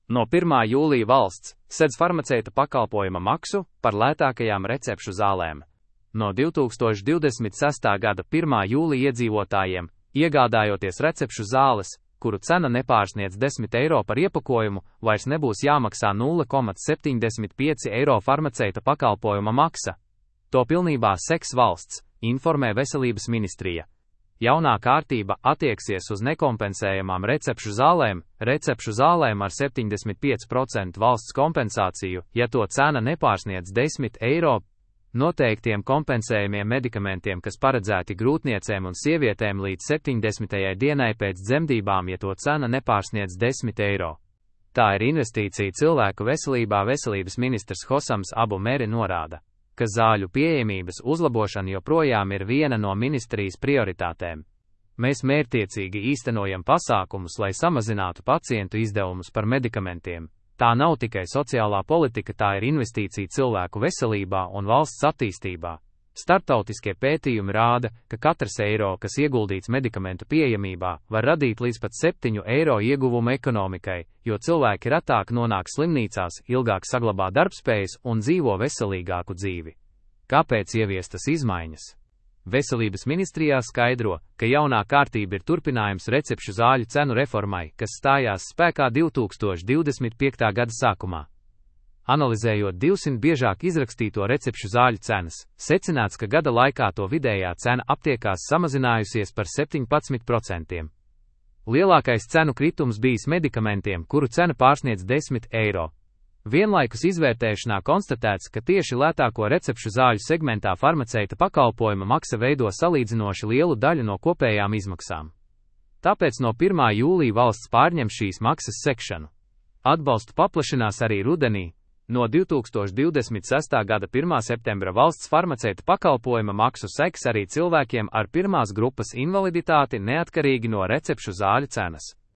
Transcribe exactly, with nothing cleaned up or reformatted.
No pirmā jūlija valsts sedz farmaceita pakalpojuma maksu par lētākajām recepšu zālēm. No divi tūkstoši divdesmit sestā gada pirmā jūlija iedzīvotājiem, iegādājoties recepšu zāles, kuru cena nepārsniedz desmit eiro par iepakojumu, vairs nebūs jāmaksā nulle komats septiņdesmit pieci eiro farmaceita pakalpojuma maksa. To pilnībā seks valsts, informē Veselības ministrija. Jaunā kārtība attieksies uz nekompensējamām recepšu zālēm, recepšu zālēm ar septiņdesmit pieci procenti valsts kompensāciju, ja to cena nepārsniedz desmit eiro, noteiktiem kompensējumiem medikamentiem, kas paredzēti grūtniecēm un sievietēm līdz septiņdesmitajai dienai pēc dzemdībām, ja to cena nepārsniedz desmit eiro. Tā ir investīcija cilvēku veselībā. Veselības ministrs Hosams Abu Meri norāda, ka zāļu pieejamības uzlabošana joprojām ir viena no ministrijas prioritātēm. Mēs mērķtiecīgi īstenojam pasākumus, lai samazinātu pacientu izdevumus par medikamentiem. Tā nav tikai sociālā politika, tā ir investīcija cilvēku veselībā un valsts attīstībā. Startautiskie pētījumi rāda, ka katrs eiro, kas ieguldīts medikamentu pieejamībā, var radīt līdz pat septiņu eiro ieguvumu ekonomikai, jo cilvēki retāk nonāk slimnīcās, ilgāk saglabā darbspējas un dzīvo veselīgāku dzīvi. Kāpēc ieviestas izmaiņas? Veselības ministrijā skaidro, ka jaunā kārtība ir turpinājums recepšu zāļu cenu reformai, kas stājās spēkā divi tūkstoši divdesmit piektā gada sākumā. Analizējot divsimt biežāk izrakstīto recepšu zāļu cenas, secināts, ka gada laikā to vidējā cena aptiekās samazinājusies par septiņpadsmit procentiem. Lielākais cenu kritums bijis medikamentiem, kuru cena pārsniedz desmit eiro. Vienlaikus izvērtēšanā konstatēts, ka tieši lētāko recepšu zāļu segmentā farmaceita pakalpojuma maksa veido salīdzinoši lielu daļu no kopējām izmaksām. Tāpēc no pirmā jūlija valsts pārņem šīs maksas sekšanu. Atbalstu paplašinās arī rudenī. No divi tūkstoši divdesmit sestā gada pirmā septembra valsts farmaceita pakalpojuma maksu seks arī cilvēkiem ar pirmās grupas invaliditāti neatkarīgi no recepšu zāļu cenas.